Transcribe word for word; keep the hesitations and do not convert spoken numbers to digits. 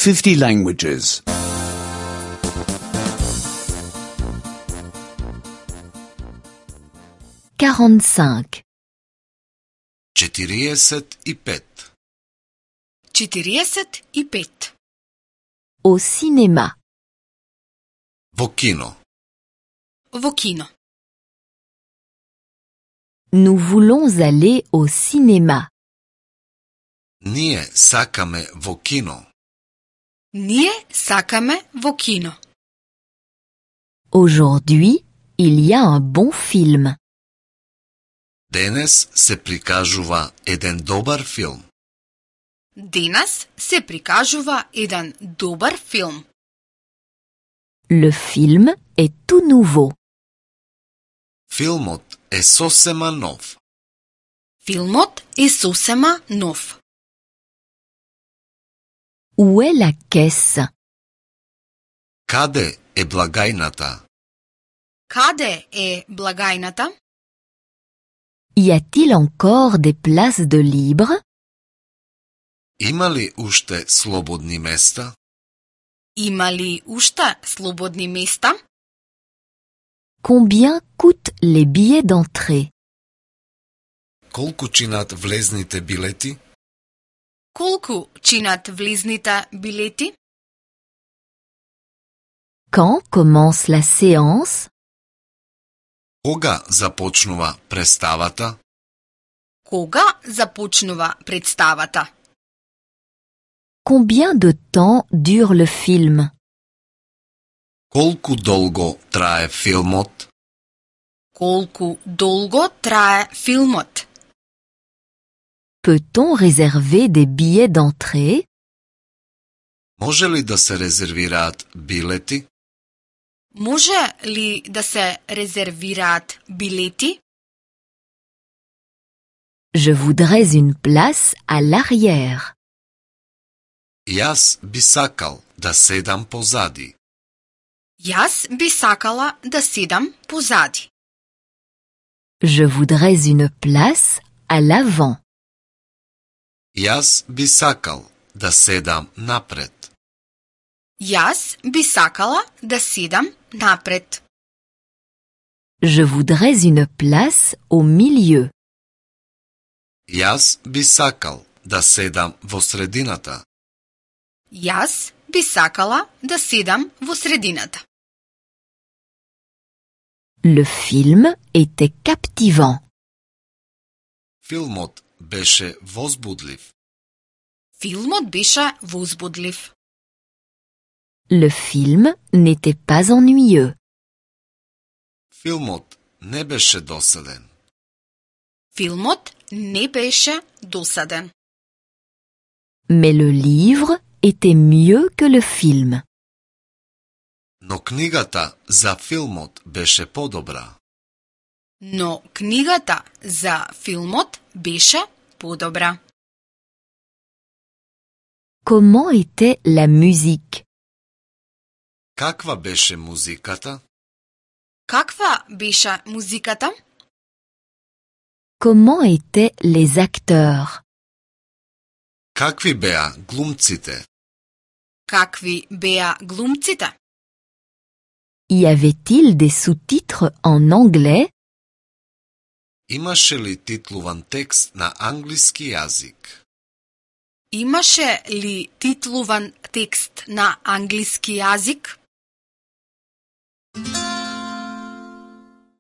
fifty languages. quarante-cinq. четириесет и пет. четириесет и пет. Au cinéma. Во кино. Во кино. Nous voulons aller au cinéma. Ние сакаме во кино. Ние сакаме во кино. Aujourd'hui, il y a un bon film. Денес се прикажува еден добар филм. Денес се прикажува еден добар филм. Le film est tout nouveau. Филмот е сосема нов. Филмот е сосема нов. Où est la caisse? Каде е благајната? Каде е благајната? Y a-t-il encore des places de libre? Има ли уште слободни места? Има ли уште слободни места? Combien coûtent les billets d'entrée? Колку чинат влезните билети? Колку чинат влезните билети? Quand commence la séance? Кога започнува представата? Кога започнува представата? Combien de temps dure le film? Колку долго трае филмот? Колку долго трае филмот? Peut-on réserver des billets d'entrée? Може ли да се резервираат билети? Може ли да се резервираат билети? Je voudrais une place à l'arrière. Јас би сакал да седам позади. Јас би сакала да седам позади. Je voudrais une place à l'avant. Јас би сакал да седам напред. Јас би сакала да седам напред. Je voudrais une place au milieu. Јас би сакал да седам во средината. Јас би сакала да седам во средината. Le film était captivant. Филмот беше возбудлив. Филмот беше возбудлив. Le film n'était pas ennuyeux. Филмот не беше досаден. Филмот не беше досаден. Mais le livre était mieux que le film. Но книгата за филмот беше подобра. Но книгата за филмот беше подобра. Comment était la musique? Каква беше музиката? Каква беше музиката? Comment étaient les acteurs? Какви беа глумците? Какви беа глумците? Y avait-il des sous-titres en anglais? Имаше ли титлуван текст на англиски јазик? Имаше ли титлуван текст на англиски јазик?